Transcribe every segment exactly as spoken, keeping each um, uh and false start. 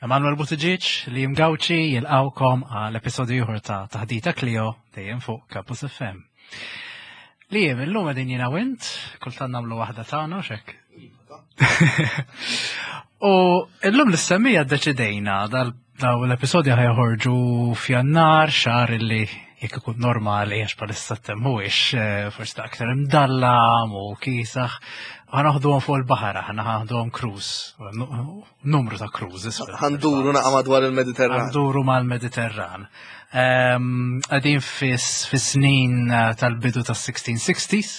Emanuel Buttigieg li jimgawċi jilqawkom għal episodju ieħor ta' Taħdita Clio dejjem fuq Campus F M. Li jem illum qegħdin jiena u int, kultant nagħmlu waħda tagħna u xek. U illum l-istemmija ddeċidejna dal daw l-episodji ħa joħorġu f'Jannar, xahar illi jekk ikun normali, għax bħalissa t-temp mhuwiex eh, forsi ta' aktar imdallam u kiesaħ. Ħa noħduhom fuq il-baħar, ħa noħduhom cruise, numru ta' cruises. Ħa nduru naqa madwar il-Mediterran. Ħa nduru mal-Mediterran. Qegħdin fis-snin eh, tal-bidu tas-sixteen sixties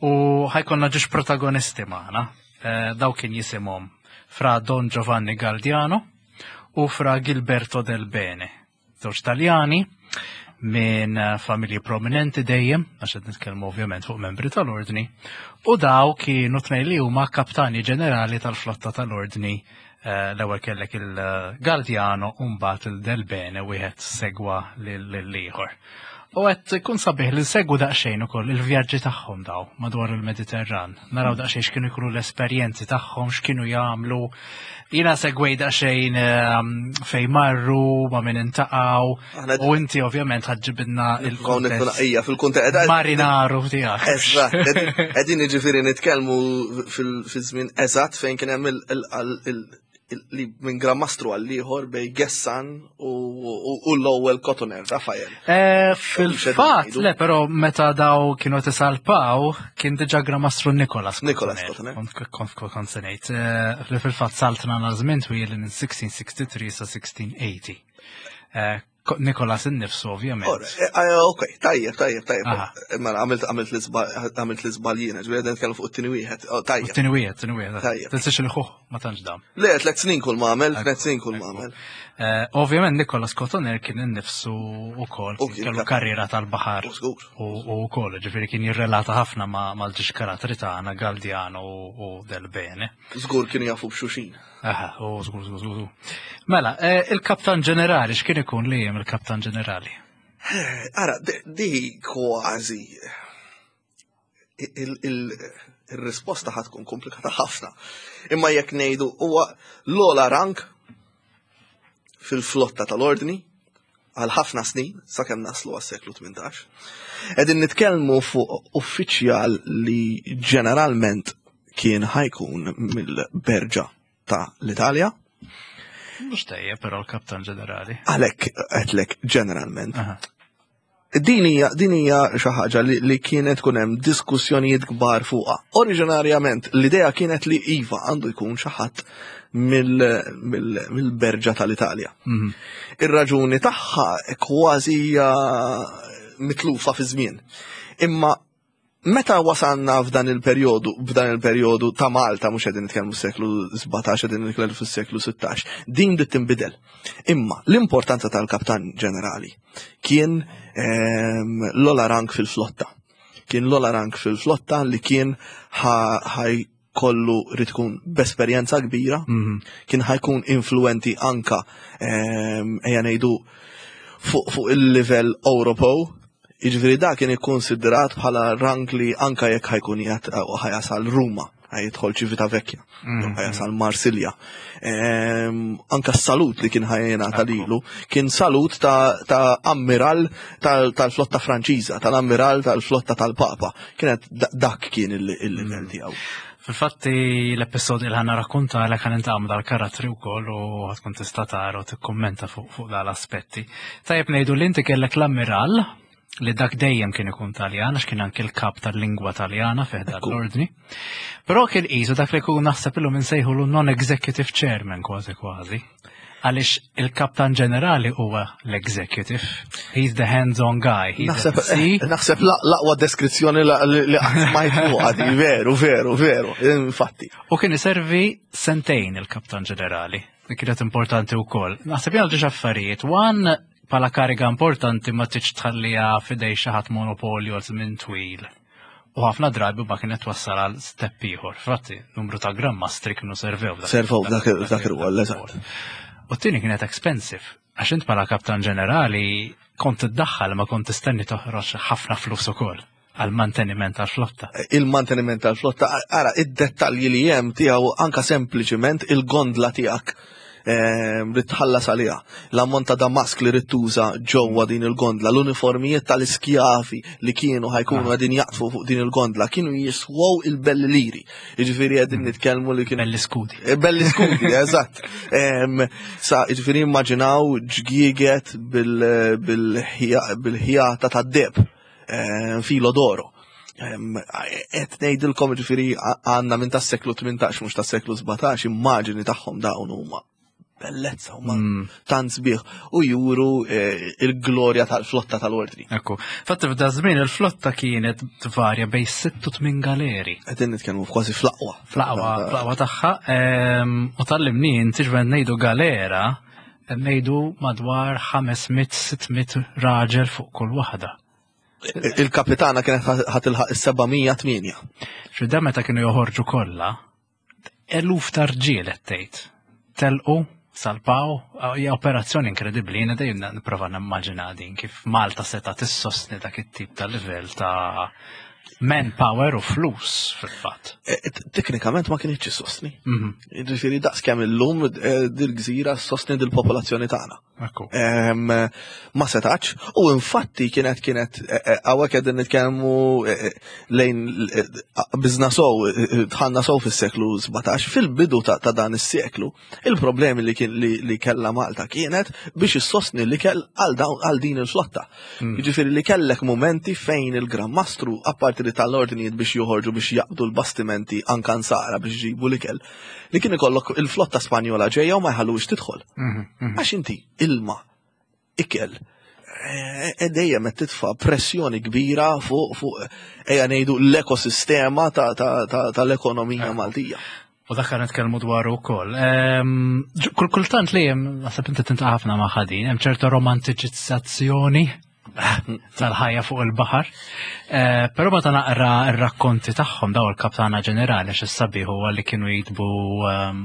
u ħa jkollna ġiex protagonisti magħna. Eh, daw kien jisimhom Fra Don Giovanni Galdiano u Fra Gilberto del Bene. Żewġ Taljani minn eh, familji prominenti dejjem, għax qed nitkellmu ovvjament fuq membri tal-ordni, u daw kienu tnejn li huma kaptani ġenerali tal-flotta tal-ordni. eh, l-ewwel kellek il-Galdiano u mbagħad il-Del Bene, wieħed segwa lill-ieħor. U qed kun sabiħ li nsegwu daqsxejn ukoll il-vjaġġi tagħhom daw madwar il-Mediterran. Naraw daqsxejn x'kienu jkunu l-esperjenzi tagħhom, x'kienu jagħmlu. Jiena segwej daqsxejn ehm, fejn marru, ma' min intaqgħu. Aħna U inti ovvjament ħa ġġibilna il-kuntest Ija, fil-kuntest. marinaru tiegħek. Eżatt, qegħdin ġifieri nitkellmu fil-żmien eżatt fejn kien hemm il- il- il- il- li minn Gran Mastru għal ieħor bejn Gessan u u l-ewwel Cotoner, Rafael. Eh, Fil-fatt, ngħidu. le, però meta daw kienu tisalpaw, kien diġà Gran Mastru Nicolas. Nicolas Cotoner. Kont kont kont se ngħid. Eh, Li fil-fatt saltna għal żmien twil minn sixteen sixty-three sa sixteen eighty. Eh, Ko- Nicolas innifsu ovvjament. Ora, eh, eh, Ok, tajjeb, tajjeb, tajjeb. Aha. Mela għamilt għamilt l-iżball għamilt l-iżball jiena, ġifieri qegħdin nitkellmu fuq it-tieni wieħed. Oh, tajjeb. Tieni wieħed, tieni wieħed. Tajjeb. Tinsiex il ħuh ma tantx dam. Le, tliet snin kull ma għamel, tliet snin kull ma għamel. Eh, Ovvjament Nicolas Cotoner kien innifsu ukoll U kien kien kellu kap- karriera tal-baħar. U żgur. U u wkoll, ġifieri kien jirrelata ħafna ma' mal-ġiex karattri tagħna Galdiano u u Del Bene. Żgur kienu jafu b'xulxin. Aha, u żgur, żgur, żgur. Mela, eh, il-kaptan ġenerali, x'kien ikun li jem il-kaptan ġenerali? Ara, di- di kważi il- il- il-risposta ħa tkun komplikata ħafna. Imma jekk ngħidu huwa l-ogħla rank fil-flotta tal-ordni għal ħafna snin sakemm naslu għas-seklu tmintax. Qegħdin nitkellmu fuq uffiċjal li ġeneralment kien ħa jkun mill-berġa ta' l-Italja, Mhux tajjeb, però l-kaptan ġenerali. Għalhekk għedtlek ġeneralment. Aha. Din hija din hija xi ħaġa li, li kienet tkun hemm diskussjonijiet kbar fuqha. Oriġinarjament l-idea kienet li iva, għandu jkun xi ħadd mill-berġa tal-Italja. Mhm. Ir-raġuni tagħha kważi hija mitlufa fi żmien. Imma meta wasalna f'dan il-perjodu, f'dan il-perjodu ta' Malta, mhux qegħdin nitkellmu s-seklu sbatax, qegħdin nitkellmu fis-seklu sittax, din bdiet tinbidel. Imma l-importanza tal-kaptan ġenerali kien ehm, l-ogħla rank fil-flotta. Kien l-ogħla rank fil-flotta li kien ħaj kollu rid ikun b'esperjenza kbira, Mhm. kien ħa jkun influenti anka ehm, ejja ngħidu fuq fuq il-livell Ewropew. Jiġifieri da kien ikkonsidrat bħala rank li anka jekk ħa jkun jgħat ħa jasal Ruma, ħa jidħol Civitavecchia, Mhm. ħa jasal Marsilja. Ehm, anka s-salut li kien ħa jingħata lilu kien salut ta', ta ammiral tal- tal-flotta Franċiża, tal-ammiral tal-flotta tal-Papa. Kienet da- dak kien il- il-livell tiegħu. Fil-fatti l-episodju li ħa nirrakkonta l ħa nintaqgħu dal-karattri wkoll u ħa tkun tista' tara u tikkummenta fuq fuq dal-aspetti. Tajjeb ngħidu li inti kellek l-ammiral li dak dejjem kien ikun Taljan, għax kien anke l-kap tal-lingwa Taljana fih dan Ekku. l-ordni. Però kien qisu dak li jkun naħseb illum insejħulu non-executive chairman kważi kważi. Għaliex il-kaptan ġenerali huwa l-executive. He's the hands-on guy. He's Naħseb the sea. naħseb la- l-aqwa deskrizzjoni la- li li qatt smajt fuqha di, veru, veru, veru, infatti. U kien iservi sentejn il-kaptan ġenerali. Li kienet importanti wkoll. Naħseb jgħal ġiex affarijiet. One, bħala kariga importanti ma tiġ tħallija f'idej xi ħadd monopolju għal żmien twil. U ħafna drabi ma kienet wassal għal step ieħor. Fatti, numru ta' Gran Mastri kienu servew dak- Servew dak- dak ir-rwol, eżatt. U t-tieni kienet expensive. Għax int bħala kaptan ġenerali kont tiddaħħal ma kont tistenni toħroġ ħafna flus ukoll għal manteniment tal-flotta. Il-manteniment tal-flotta, ara, id-dettalji li hemm tiegħu anka sempliċiment il-gondla tiegħek Ridt tħallas għaliha, l-ammont ta' damask li ridt tuża ġewwa din il-gondla, l-uniformijiet tal-iskjavi li kienu ħa jkunu qegħdin jaqdfu fuq din il-gondla kienu jiswew il-belli liri. Jiġifieri qegħdin nitkellmu li kienu Belli skudi. Eh, Belli skudi, eżatt. Em, Sa, jiġifieri immaġinaw ġgieget bil- bil-ħja- bil-ħjata tad-deheb, filo d'oro. Qed ngħidilkom, jiġifieri għandna minn tas-seklu tmintax, mhux tas-seklu sbatax, immaġini tagħhom dawn huma bellezza, huma Mm. tant sbieħ u juru eh, il-glorja tal-flotta tal-ordni. Ekku. Fatti f'da żmien il-flotta kienet tvarja bejn sitt u tmien galeri. Qegħdin nitkellmu kważi fl-aqwa. Fl-aqwa, fl-aqwa tagħha. Em, U tallimni inti ġven ngħidu galera, ngħidu madwar ħames mitt sitt mitt raġel fuq kull waħda. Il-kapitana kienet ħa tilħaq is-seba' mija u tmienja. Xi meta kienu joħorġu kollha, eluf ta' rġiel qed tgħid. Telqu, salpaw, hija operazzjoni inkredibbli, jiena dejjem nipprova nimmaġina din kif Malta seta' tissostni dak it-tip ta' livell ta' manpower u flus fil-fatt. Eh, Teknikament ma kienx sostni. Mhm, Ġifieri daqs kemm illum eh, dil-gżira sostni dil-popolazzjoni tagħna. Ekku. Em, Ma setax, u infatti kienet kienet hawnhekk qegħdin nitkellmu eh, eh, lejn eh, bizna sow, eh, dħalna sow fis-seklu sbatax, fil-bidu ta' ta' dan is-seklu, il-problemi li kien li, li kella Malta kienet biex issostni li kell għal dawn- għal din il-flotta. Jiġifieri li kellek momenti fejn il-Gran Mastru, apparti li tal-ordnijiet biex joħorġu biex jaqbdu l-bastimenti anka nsara biex jġibu l-ikel, li kien ikollok il-flotta Spanjola ġejja u ma jħallux tidħol. Mhm, mhm. Għax inti ilma, ikel, eh, e dejjem qed titfa' pressjoni kbira fuq fuq ejja ngħidu l-ekosistema ta- ta- ta- tal-ekonomija Maltija. U dak kan nitkellmu dwaru wkoll. Ehm, ġ- Kull kultant li hemm naħseb inti tintaqa' ħafna ma' ħadin, hemm ċerta romantiċizzazzjoni tal-ħajja fuq il-baħar. Eh, Però meta naqra r-rakkonti tagħhom daw il-kaptana ġenerali, għax is-sabiħ huwa li kienu jitbu ehm,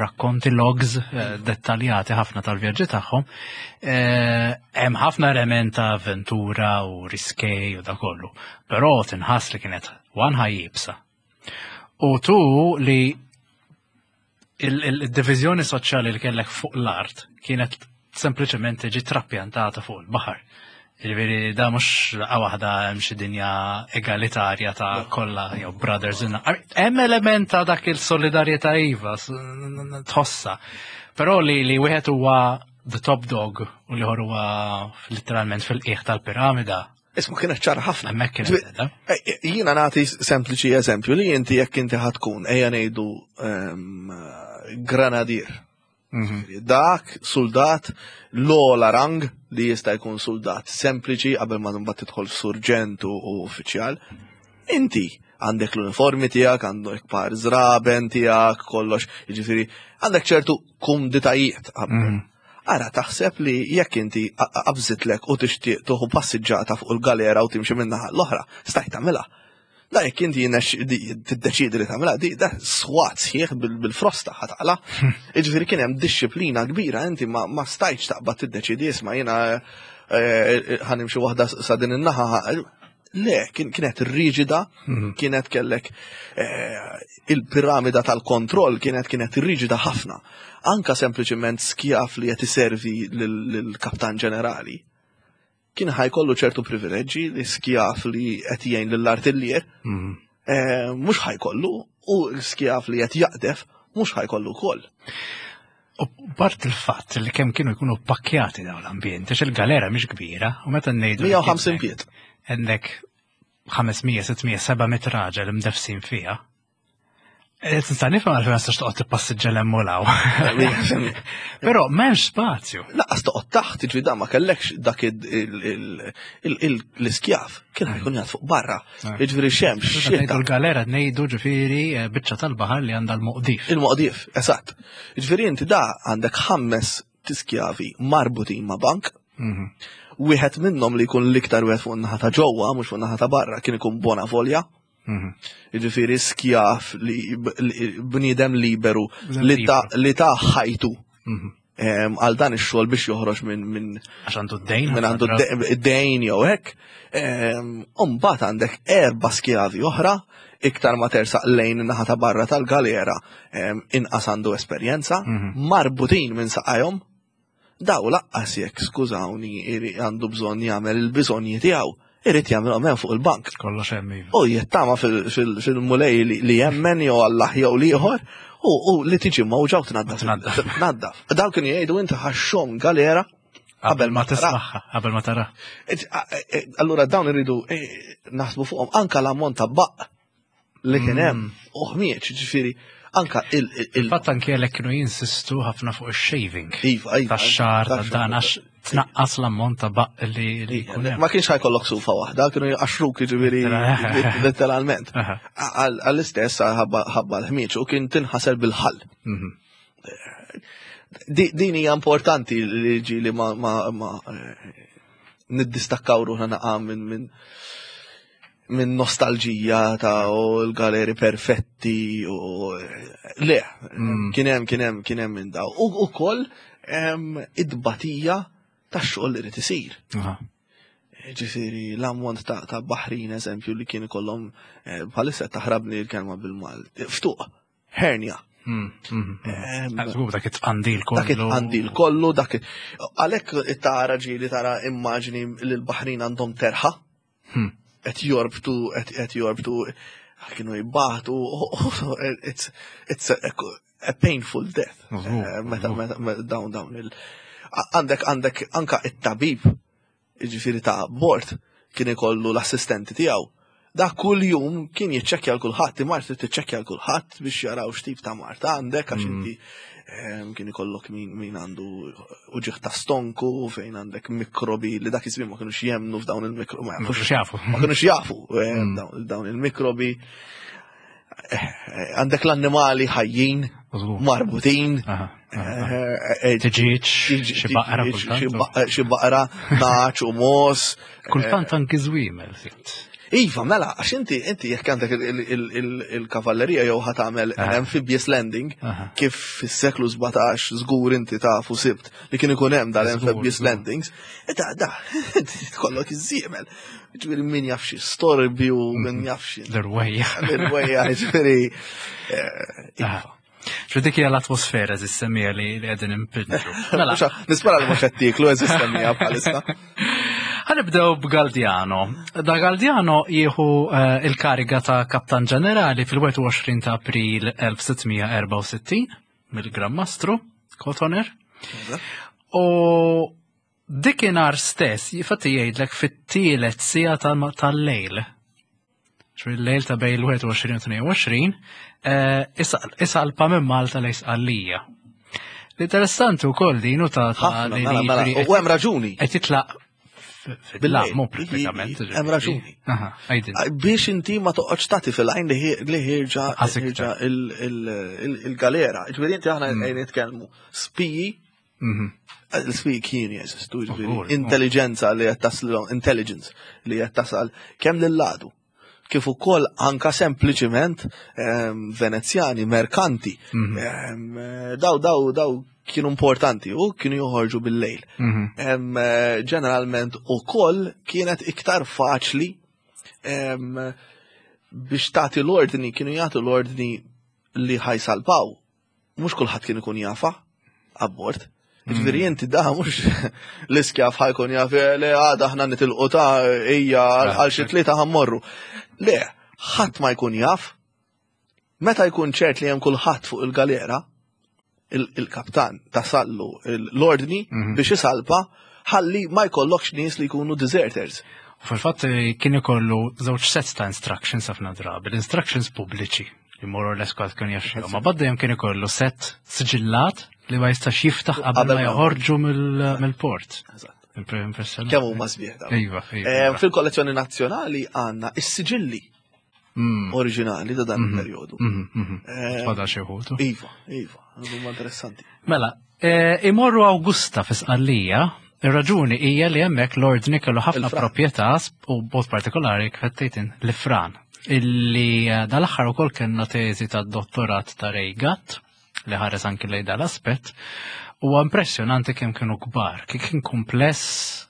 rakkonti, logs eh, dettaljati ħafna tal-vjaġġi tagħhom. Eh, Hemm ħafna element ta' avventura u riskej u da kollu. Però tinħass li kienet one ħajja iebsa. U tu li il-divizjoni soċjali li kellek fuq l-art kienet sempliċement tiġi trapjantata fuq il-baħar. Jiġifieri da mhux laqgħa waħda hemm xi dinja egalitarja ta' kollha jew brothers in. I mean, hemm element ta' dak il-solidarjetà iva, s- tħossa. Però li li wieħed huwa the top dog u l-ieħor huwa literalment fil-qiegħ tal-piramida, Isma' kienet ċara ħafna. hemmhekk kienet qiegħda. Eh, Jiena nagħti sempliċi eżempju li inti jekk inti ħa tkun ejja ngħidu ehm, granadier. Mhm. Dak soldat l-ogħla rang li jista' jkun soldat sempliċi qabel ma mbagħad tidħol f'surġent u u uffiċjal. Inti għandek l-uniformi tiegħek, għandek par żraben tiegħek, kollox, jiġifieri għandek ċertu kumditajiet qabel. Mhm. Ara taħseb li jekk inti qabżitlek u tixtieq tuħu passiġġata fuq il-galera u timxi minnaħa l-oħra, stajt tagħmilha. Da jekk inti jinex- di- tiddeċidi li tagħmilha, di da swat sħiħ bil- bil-frosta ħa taqla'. Jiġifieri kien hemm dixxiplina kbira, inti ma, ma stajtx taqbad tiddeċidi, isma' jiena eh, ħa nimxi waħda sa din in-naħa. Le, kien- kienet riġida, Mhm. kienet kellek eh, il-piramida tal-kontroll kienet kienet riġida ħafna. Anka sempliċiment skjaf li qed iservi lill-kaptan ġenerali. Kien ħa jkollu ċertu privileġġi li skjaf li qed jgħin lill-artillier, Mhm. eh, mhux ħa jkollu, u l-skjaf li qed jaqdef mhux ħa jkollu wkoll. U bart il-fatt li kemm kienu jkunu pakkjati dawn l-ambjent, għax il-galera mhix kbira, u meta ngħidu li mija u ħamsin kienek pied. għandek ħames mija, sitt mija, seba' mitt raġel imdefsin fiha. Eh, Tista' nifhem għalfejn ma tistax toqgħod tippassiġġa 'l hemm u 'l hawn. Però m'hemmx spazju. Lanqas toqgħod taħt, ġifieri da ma kellekx dak il- il- il- il- l-iskjaf, kien ħa jkun jgħad fuq barra. Ah. Jiġifieri xemx, Ngħidu xita. l-galera, ngħidu ġifieri eh, biċċa tal-baħar li għandha l-moqdif. Il-moqdif, eżatt. Ġifieri inti da għandek ħames tiskjavi marbutin ma' bank, Mhm. wieħed minnhom li jkun l-iktar wieħed fuq naħa ta' ġewwa, mhux fuq naħa ta' barra, kien ikun bona volja. Mhm. Jiġifieri skjaf li li- bniedem liberu Bniedem li ta' li ta' ħajtu Mhm. em, għal dan ix-xogħol biex joħroġ minn minn Għax għandu d-dejn. minn għandu d-dejn jew hekk. Em, U mbagħad għandek erba' skjavi oħra Iktar ma tersaq lejn naħa ta' barra tal-galera, em, inqas għandu esperjenza, marbutin minn saqajhom, daw lanqas jekk, skużawni, iri- għandu bżonn jagħmel il-bżonji tiegħu, irid jagħmelhom hemm fuq il-bank. Kollox hemm, iva. U jittama fil-Mulej li li jemmen jew Allah jew l-ieħor u u li tiġi mawġa u tnaddaf. Tnaddaf. Tnaddaf. Daw kienu jgħidu inti ħa xxomm galera Qabel ma tismagħha, qabel ma tara. Et- a- e- Allura dawn irridu eh, naħsbu fuqhom anka l-ammont ta' baq li kien hemm u ħmieġ, ġifieri anka il- il- il- Fatt anke għalhekk kienu jinsistu ħafna fuq il-shaving. Iva, iva. Tax-xagħar, ta' Tax-xagħar. dan, għax tnaqqas l-ammont ta' baq li li jkun hemm. Ma kienx ħa jkollok sufa waħda, kienu jqaxruk, ġifieri letteralment. Aha. Għal- Għall-istess ħabba ħabba l-ħmieġ u kien tinħasel bil-ħall. Mhm. Di- Din hija importanti li ġi li ma ma ma eh, niddistakkaw ruħna naqa minn minn minn nostalġija ta' u l-galeri perfetti u le, kien hemm kien hemm kien hemm minn daw. U ukoll em, id-batija tax-xogħol li rid isir. Aha. Ġifieri, l-ammont ta', ta' baħrin, eżempju, li kien ikollhom eh, bħalissa taħrabni l-kelma bil-Malti. Ftuq, hernia. Mm, mhm. Em, Żgur dak it-tqandil kollu. Dak it-tqandil kollu, dak it- Għalhekk tara ġieli tara immaġni li l-baħrin għandhom terħa, Hmm. qed jorbtu, qed qed jorbtu, kienu jibbatu, it's, it's a, a painful death. Żgur, Eh, Meta, żgur. meta, meta dawn dawn il. Għandek, għandek anka it-tabib, ġifieri ta' bord, kien ikollu l-assistenti tiegħu. Da kull jum kien jiċċekkja l kulħadd, imar trid tiċċekkja l kulħadd biex jaraw x'tip ta' mard għandek, għax inti em, kien ikollok min, min għandu uġigħ ta' stonku, fejn għandek mikrobi li dak iż-żmien ma kienux jemnu f'dawn il-mikrobi. Ma kinux jafu. Ma kienux jafu em, dawn, dawn il-mikrobi. Eh, Għandek l-annimali ħajjin, Żgur. marbutin. Aha, aha. eh, eh, Tiġiġ, xi baqra xi kultant. baqra- xi baqra, nagħaġ u mogħoż. Kultant anki żwiemel sitt. Iva, mela, għax inti, inti jekk għandek il- il- il- il-kavallerija jew ħa tagħmel Aha. amphibious landing, Aha. kif fis-seklu sbatax żgur inti tafu sibt li kien ikun hemm dal-amphibious Żgur, żgur. landings, da, da, inti tkollok iż-żiemel. Ġifieri min jaf xi storbju, min jaf xi L-irwejjaħ. l-irwejjaħ, ġifieri. eh, Aha. Xo dik hija l-atmosfera żissemmija li li qegħdin impinġu. Mela, Mhux- Nispera li mhux qed tieklu eżistemmija bħalissa. Ħa nibdew b'Galdiano. Da Galdiano jieħu eh, il-kariga ta' kaptan ġenerali fil-wieħed u għoxrin ta' April elf sitt mija erbgħa u sittin mill-Gran Mastru Cotoner. U dikinhar stess, jifatti jgħidlek fit-tielet siegħa tal- tal-lejl. Xu il-lejl ta' bejn il-wieħed u għoxrin u tnejn u għoxrin, eh, isalpa minn Malta lejn Sqallija. L-interessanti wkoll din u ta' ta' Ħafna, li mela, mela, li- u hemm raġuni. qed jitlaq Bil-lejl. fil mu pratikament. Hemm raġuni. Aha, għajdin. Biex inti ma toqgħodx tagħti fil-għajn li ħi- li ħierġa Għas iktar. ħierġa il- il- il- il-galera. Ġifieri inti aħna qegħdin nitkellmu spiji, Mhm. l-spiji kienu jeżistu, ġifieri Żgur, intelligenza li qed taslilhom, intelligence li qed tasal kemm lil-ladu kif ukoll anka sempliċiment ehm, Venezjani, merkanti, Mhm. ehm, daw daw daw kienu importanti u kienu joħorġu bil-lejl. Mhm. Em, eh, ġeneralment ukoll kienet iktar faċli em, biex tagħti l-ordni, kienu jagħtu l-ordni li ħa jsalpaw. Mhux kulħadd kien ikun jafa abbord. Ġifieri inti da mhux l-iskjav ħa jkun jaf eh, le għada aħna nitilqu ta' ejja għal xi tlieta ħa mmorru. Le, ħadd ma jkun jaf. Meta jkun ċert li hemm kulħadd fuq il-galera, il- il-kaptan tasallu l-ordni Mhm. biex isalpa ħalli ma jkollokx nies li jkunu deserters. U fil-fatt eh, kien ikollu żewġ sets ta' instructions ħafna drabi, l-instructions pubbliċi li more or less kulħadd kien jaf ma baddejjem kien ikollu set siġillat li ma jistax jiftaħ qabel Qabel ma ma- joħorġu mill- mill-port. Eżatt. Impressjonanti. Kemm huma sbieħ dawn. Iva, iva. Eh, Fil-kollezzjoni nazzjonali għandna is-siġilli Mm, oriġinali ta' dan il-perjodu. mhm, mhm. Eh, Fadal xi wħud. Iva, iva, huma interessanti. Mela, eh, imorru Augusta fi Sqallija, ir-raġuni hija li hemmhekk l-ordni kellu ħafna Il-Fran. proprjetà u b'mod partikolari kif l-Ifran. Illi eh, dal-aħħar ukoll kellna teżi tad-dottorat ta' Ray Gatt li ħares anki lejn dal-aspett. Huwa impressjonanti kemm kienu kbar, kif kien kumpless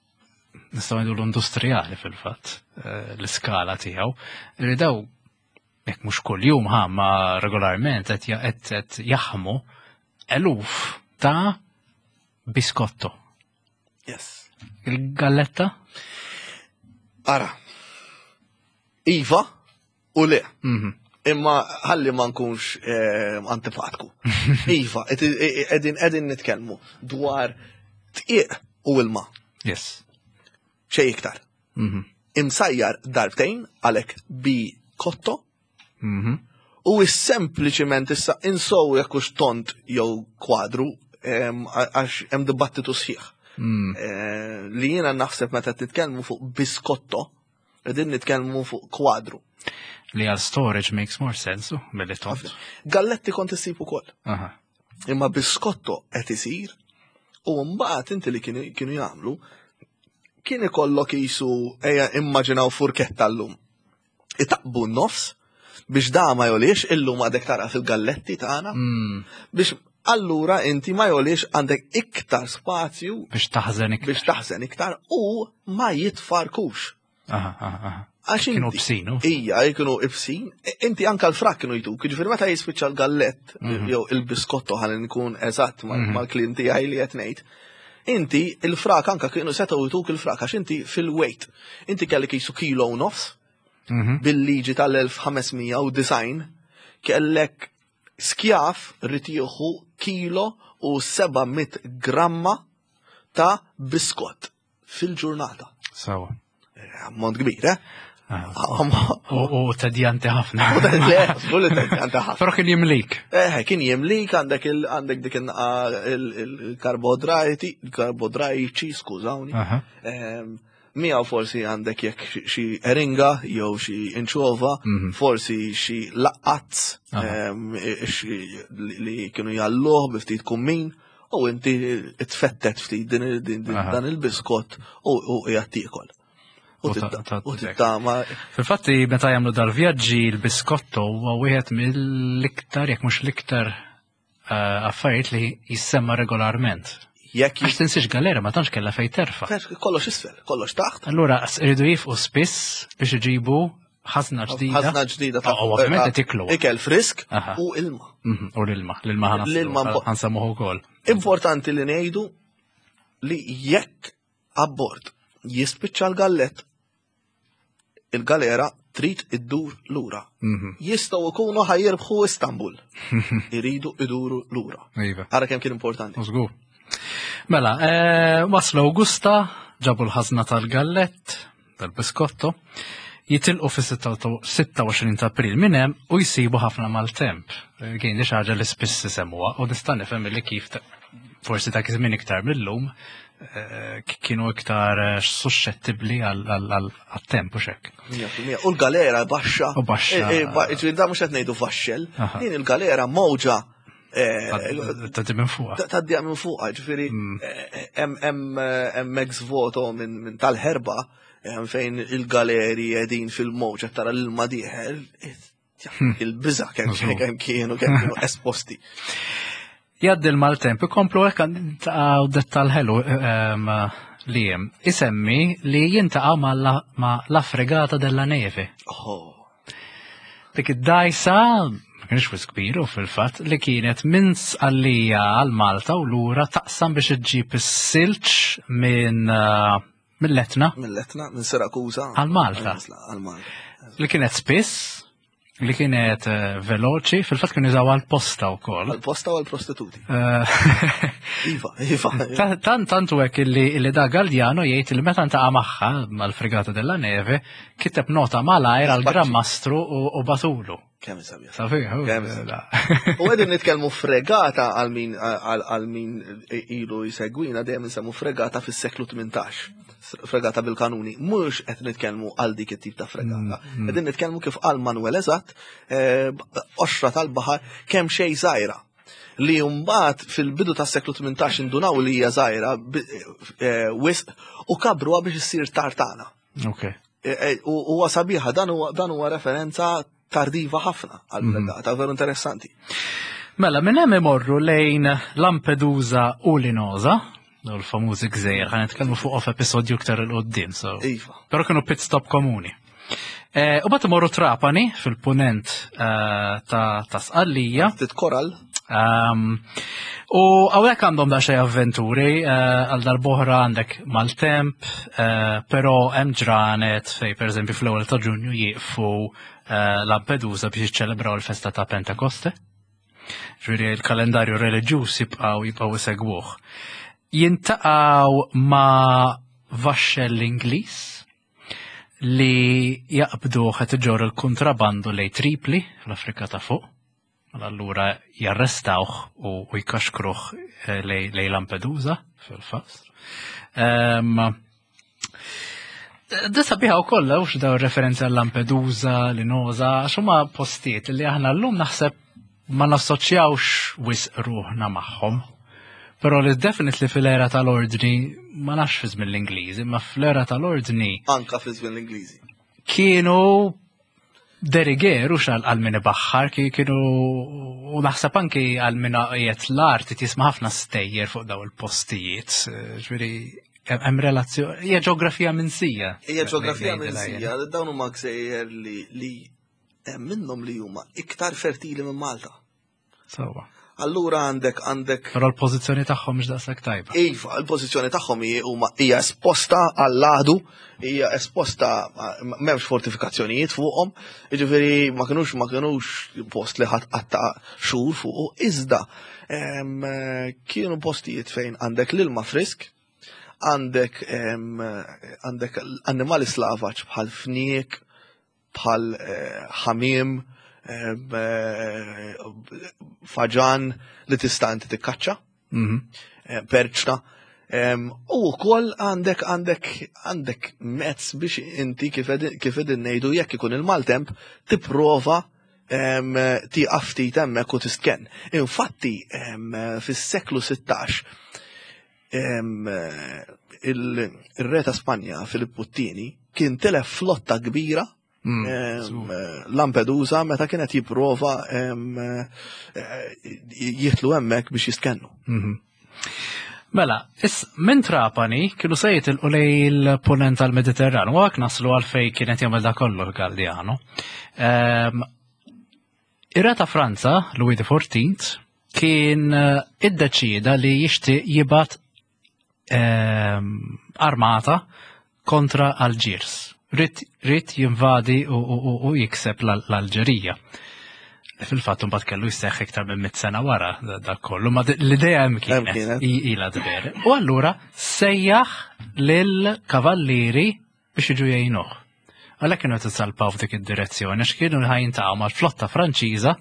nistgħu ngħidu l-industrijali fil-fatt, eh, l-iskala tiegħu, li daw jekk mhux kuljum ħa ma regolarment qed ja- qed qed jaħmu eluf ta' biskotto. Yes. Il-galletta? Ara. Iva u le. Mhm. Imma ħalli ma nkunx eh, antipatku. Iva, qegħdin qegħdin nitkellmu dwar dqiq u ilma. Yes. Xejn iktar. Mhm. Imsajjar darbtejn għalhekk bi kotto Mhm. u sempliċiment issa insow jekk hux tont jew kwadru em, għax hemm dibattitu sħiħ. Mm. Eh, Li jiena naħseb meta titkellmu fuq biskotto, qegħdin nitkellmu fuq kwadru. Li għal storage makes more sense, u, milli tont. Galletti kont issib ukoll. Aha. Imma biskotto qed isir u mbagħad inti li kienu kienu jagħmlu kien ikollok jisu ejja immaġinaw furketta llum. Itaqbu n-nofs biex da ma jolix illum għadek tara fil-galletti tagħna Mm. biex allura inti ma jolix għandek iktar spazju Biex taħżen iktar. biex taħżen iktar u ma jitfarkux. Aha, aha, aha. Għax Kienu inti- ibsin, u? Ija, kienu ibsin. Inti anka l-frak kienu jtuk. Ġifieri meta jispiċċa l-gallett, jew il-biskotto ħalli nkun eżatt mal- mal-kliem tiegħi li qed ngħid. Inti il-frak anka kienu setgħu jtuk il-frak għax inti fil-weight. Inti kellek jisu kilo u nofs Mhm. bil-liġi tal-elf ħames mija u disgħin kellek skjaf irid jieħu kilo u seba' mitt gramma ta' biskott fil-ġurnata. Sawa. Ammont kbir, eh? Ah. Ammont- U u tedjanti ħafna. Le, żgur li tedjanti ħafna. Però kien jimlik. Eh, kien jimlik għandek il għandek dik il-karbodrajti, il-karbodrajċi, skużawni. Aha. Ehm, Miegħu forsi għandek jekk xi- xi eringa jew xi inċova, forsi xi laqqazz Aha. ehm, xi- li li kienu jalluh bi ftit kummin u inti tfettet ftit din din- din- Aha. dan il-biskott u u qiegħed tiekol. U U ta- titta- ta- u tittama Fil-fatti, meta jagħmlu dal-vjaġġi, il-biskotto huwa wieħed mill-iktar, jekk mhux l-iktar eh, affarijiet li jissemma regolarment. Jekk Għax tinsiex galera ma tantx kellha fejn terfa'. jis- kollox isfel, kollox taħt. Allura iridu jifqu spiss biex iġibu ħażna ġdida. Ħażna ġdida ta' U ovvjament qed iklu. Ikel frisk Aha. u ilma. Mhm, U l-ilma, l-ilma L-ilma mpo- ħa nsemmuh ukoll. Importanti li ngħidu li jekk abbord jispiċċa l-gallett, il-galera trid iddur lura. Mhm. Jistgħu jkunu ħa jirbħu Istanbul. Iridu iduru lura. Iva. Ara kemm kien importanti. Żgur. Mela, eh, waslu Augusta, ġabu l-ħażna tal-gallett, tal-biskotto, jitilqu fis-sitta u għoxrin ta' April minn hemm u jsibu ħafna maltemp. Eh, Kien di xi ħaġa li spiss isemmuha u nista' nifhem li kif ta- forsi dak iż-żmien iktar millum eh, kienu iktar eh, suscettibbli għal-temp u xek. Mija fil-mija. U l-galera baxxa. U baxxa. E, e, ba- ġifieri da mhux qed ngħidu vaxxel. Aha. Din il-galera mowġa eh, Ta' minn fuqha. tgħaddi minn fuqha, ġifieri eh, hemm hemm hemm ex voto minn minn tal-ħerba em, fejn il-galeri qegħdin fil-mowġa tara l-ilma dieħel. Il-biża kemm Żgur. kemm kienu kemm kienu esposti. Jgħaddi l-maltemp, ikomplu hekk għaw dettal ħelu ehm, li jem. Isemmi li jiltaqgħu ma' la, ma' la fregata della neve. Oh. Dik id-dajsa, ma kienx wisq kbir u fil-fatt, li kienet minn Sqallija għal Malta u lura taqsam biex iġġib is-silġ minn eh, mill-Etna Mill-Etna, minn Sirakusa. Għal Malta. Għal Malta. Li kienet spiss, li kienet eh, veloċi, fil-fatt kienu jużaw għal-posta wkoll. Għal-posta u għal-prostituti. Eh, Iva, iva. Ta- Tant tantu hekk illi illi da Galdiano jgħid li meta ntaqa' magħha mal-fregata della neve kiteb nota malajr għal Gran Mastru u u bagħatulu. Kemm sabiħ. Sabiħ, u- Kemm la. U qegħdin nitkellmu fregata għal min għal għal min ilu jsegwina dejjem nsemmu fregata fis-seklu tmintax. Fregata bil-kanuni. Mhux qed nitkellmu għal dik it-tip ta' fregata. Qegħdin nitkellmu kif qal Manuel eżatt, eh, qoxra tal-baħar kemm xejn żgħira. Li mbagħad fil-bidu tas-seklu tmintax indunaw li hija żgħira bi- eh, wisq u kabruha biex issir tartana. Ok. E, e, U huwa sabiħa dan huwa dan huwa referenza tardiva ħafna għal fregata, veru interessanti. Mela, minn hemm imorru lejn Lampedusa u Linosa, daw l-famużi gżejjer, ħa nitkellmu fuq f'episodju iktar 'il quddiem, so. Iva. Però kienu pit stop komuni. Eh, U mbagħad imorru Trapani fil-punent eh, ta' ta' Sqallija. Ftit koral. Um, u hawnhekk għandhom daqsxejn avventuri, eh, għal darb'oħra għandek maltemp, uh, però hemm ġranet fej per eżempju fl-ewwel ta' Ġunju jieqfu eh, Lampedusa biex jiċċelebraw il-festa ta' Pentekoste. Ġifieri il-kalendarju reliġjuż jibqgħu jibqgħu isegwuh. Jiltaqgħu ma' vaxxell Ingliż li jaqbdu qed iġorr il-kontrabandu lej Tripli fl-Afrika ta' fuq. Mela allura jarrestawh u, u jkaxkruh eh, lej, lej Lampedusa fil-fatt. Um, Da sabiħa u kollha, u daw referenza għal Lampedusa, Linosa, għax huma postijiet li aħna llum naħseb ma nassoċjawx wisq ruħna magħhom. Però li definitely fil-era tal-ordni, ma nafx fi żmien l-Ingliżi, ma fl-era tal-ordni Anka fi żmien l-Ingliżi. kienu de rigueur xal għal min ibaħħar, ki- kienu u naħseb anki għal min qiegħed l-art tisma' ħafna stejjer fuq daw il-postijiet, ġifieri hemm relazzjoni, hija ġeografija minsija. Hija ġeografija Ngħidilha jien. minsija, dawn huma gżejjer li li hemm minnhom li huma iktar fertili minn Malta. Sewwa. Allura għandek għandek Però l-pożizzjoni tagħhom mhux daqshekk tajba. Iva, il-pożizzjoni tagħhom hi huma hija esposta għall-għadu, hija esposta m'hemmx fortifikazzjonijiet fuqhom, jiġifieri ma kinux ma kinux post li ħadd qatta xhur fuqu, iżda em, kienu postijiet fejn għandek l-ilma frisk, għandek em, għandek annimali slavaġ bħal fniek, bħal eh, ħamiem, em, eh, faġan li tista' inti tikkaċċa Mhm. eh, perċna. Em, U wkoll għandek għandek għandek mezz biex inti kif qegħdin- kif qegħdin ngħidu jekk ikun il-maltemp tipprova em, tieqaf ftit hemmhekk u tistkenn. Infatti em, fis-seklu sittax em, il- il-re ta' Spanja Filippu t-Tieni kien tilef flotta kbira Mm, em, żgur. Lampedusa meta kienet jipprova em, eh, jitlu hemmhekk biex jistkennu. Mhm. Mela, is minn Trapani kienu se jitilqu lej il-punent tal-Mediterran, u għak naslu għalfej kienet jagħmel da kollu Galliano. Um, Ir-re ta' Franza, Louis the Fourteenth, kien eh, iddeċida li jixtieq jibgħat ehm, armata kontra Algiers. Ried, ried jinvadi u, u, u, u jikseb l- l-Alġerija. Fil-fatt mbagħad kellu jseħħ iktar minn mit sena wara da- dak kollu, ma l-idea hemm kienet kienet. i- ilha tber. U allura sejjaħ lil kavallieri biex jiġu jgħinuh. Għalhekk kienu qed isalpaw f'dik id-direzzjoni għax kienu ħa jiltaqgħu mal-flotta Franċiża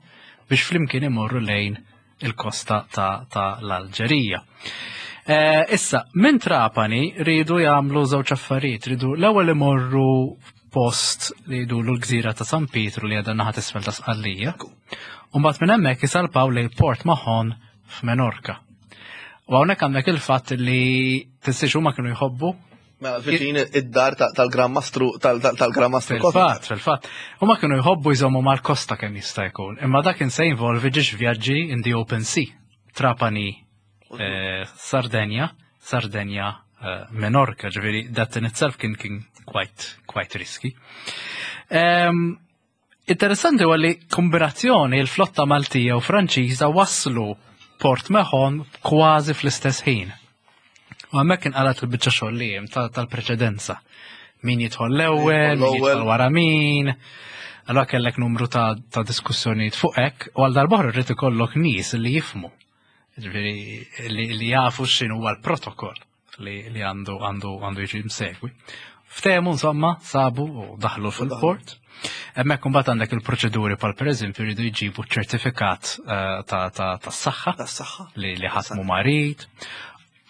biex flimkien imorru lejn il-kosta ta', ta l-Alġerija. Eh, issa, minn Trapani ridu jagħmlu żewġ affarijiet, ridu l-ewwel imorru post li jgħidulu l-gżira ta' San Pietru li għadha naħa t'isfel ta' Sqallija. U mbagħad minn hemmhekk isalpaw lejn Port Mahon f'Menorka. U hawnhekk għandek il-fatt li tinsiex huma kienu jħobbu Mela, viċin id-dar ta- tal-Gran Mastru tal-Gran Mastru Fil-fatt, fil-fatt. Huma kienu jħobbu jżommu mal-kosta kemm jista' jkun. Imma dak kien se jinvolvi ġiex vjaġġi in the open sea. Trapani, eh, Sardenja, Sardenja, eh, Menorca, ġifieri that in itself kien kien quite, quite risky. Um, interessanti huwa li kombinazzjoni il-flotta Maltija u Franċiża waslu Port Mahon kważi fl-istess ħin. U hemmhekk inqalat il-biċċa xogħol li hemm ta- tal-preċedenza. Min jidħol l-ewwel, min l-ewwel. jidħol wara min. Allora kellek numru ta', ta' diskussjonijiet fuq hekk u għal darb'oħra rrid ikollok nies li jifhmu. Ġifieri li, li jafu x'inhu huwa l-protokoll li, li għandu għandu għandu jiġi msegwi. Ftehmu insomma, sabu u daħlu fil-port. Hemmhekk imbagħad għandek il-proċeduri pal pereżempju jridu jġibu ċertifikat eh, ta' ta' tas-saħħa Tas-saħħa. li li ħadd mhu marid.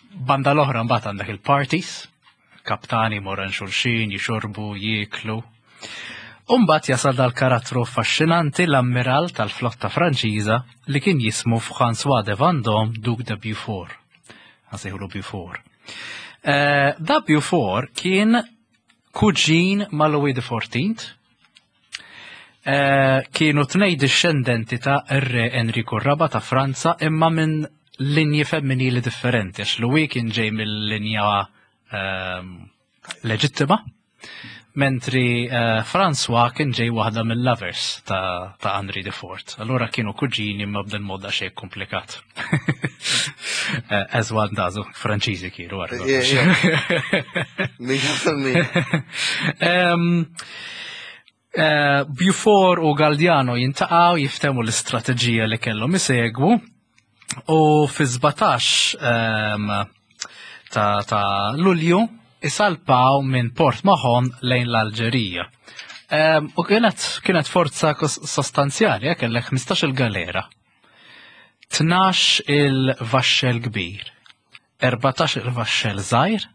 Banda l-oħra mbagħad għandek il-parties, kaptani morran xulxin, jixorbu, jieklu. Umbagħad jasal dal-karattru affaxxinanti, l-ammiral tal-flotta Franċiża li kien jismu François de Vendôme, Duc de Beaufort. Għasejħulu Beaufort. Eh, da Beaufort kien kuġin ma' Louis the Fourteenth. Eh, kienu tnej discendenti ta' ir-re Enrico Raba ta' Franza imma minn linji femminili differenti, għax Louis kien ġej mill-linja ehm, leġittima, Mentri uh, François kien ġej waħda mill-lovers ta', ta Henri the Fourth. Allura kienu kuġini ma b'del moda xejn komplikat. uh, as one does, Franċiżi kienu għarra. Mija fil-mija. Um, uh, Beaufort u Galdiano jiltaqgħu, jiftehmu l-istrateġija li kellhom isegwu u fi sbatax um, ta', ta' Lulju isalpaw minn Port Mahon lejn l-Alġerija. Um, u kienet, kienet forza kos- sostanzjali, eh, kellek ħmistax il-galera, tnax il-vaxxel kbir, erbatax il-vaxxel żgħir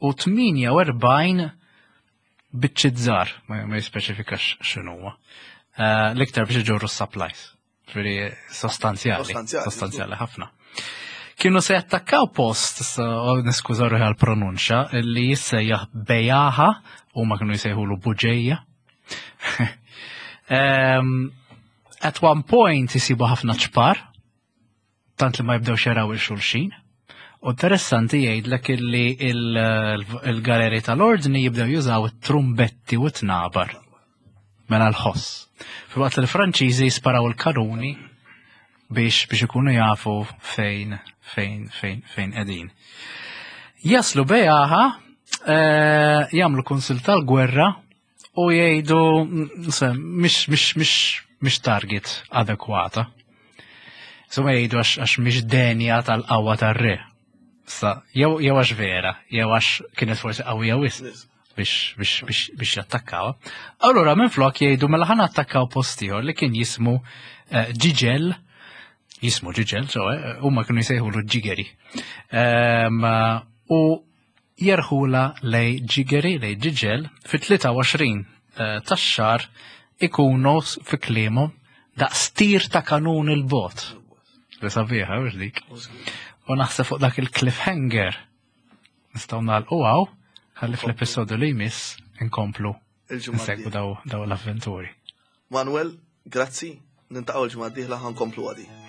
u tmienja u erbgħin biċċiet żgħar, ma, ma jispeċifikax x'inhuwa. Uh, L-iktar biex iġorru supplies. Ġifieri sostanzjali. Sostanzjali. Sostanzjali ħafna. Kienu se jattakkaw post, issa, u niskuża ruħi għal-pronunċa, li jissejjaħ Bejaha, u ma kienu jsejħulu Buġeja. um, at one point jisibu ħafna ċpar, tant li ma jibdewx jaraw il-xulxin. U interessanti jgħidlek illi il- il-galeri tal-ordni jibdew jużaw it-trumbetti u t-tnabar. Mela l-ħoss. Filwaqt li l-Franċiżi jisparaw il-kanuni biex biex ikunu jafu fejn fejn fejn fejn qegħdin. Jaslu Bejaha, eh, jagħmlu kunsil tal-gwerra u jgħidu mm, se, mhix mhix mhix mhix target adekwata. Insomma jgħidu għax għax mhix denja tal-qawwa tar-re. Sa, jew jew għax vera, jew għax kienet forsi qawwija wisq biex biex biex biex jattakkaw. Allura minn flok jgħidu mela ħa nattakkaw post ieħor li kien jismu eh, Ġiġel, jismu Ġiġel, ċoè, huma kienu jsejħulu Ġigeri. Em, U jerħula lej Ġigeri, lej Ġiġel, fit-tlieta u għoxrin eh, tax-xahar ikunu fi kliemu daqs tir ta' kanun il-bogħod. Li sabiħa, mhux dik? U naħseb fuq dak il-cliffhanger nistgħu nagħlqu hawn, ħalli fl-episodju li jmiss inkomplu Il-ġimgħa nsegwu d-dieħla. daw daw l-avventuri. Manuel, grazzi, niltaqgħu l-ġimgħa d-dieħla, ħa nkomplu għadi.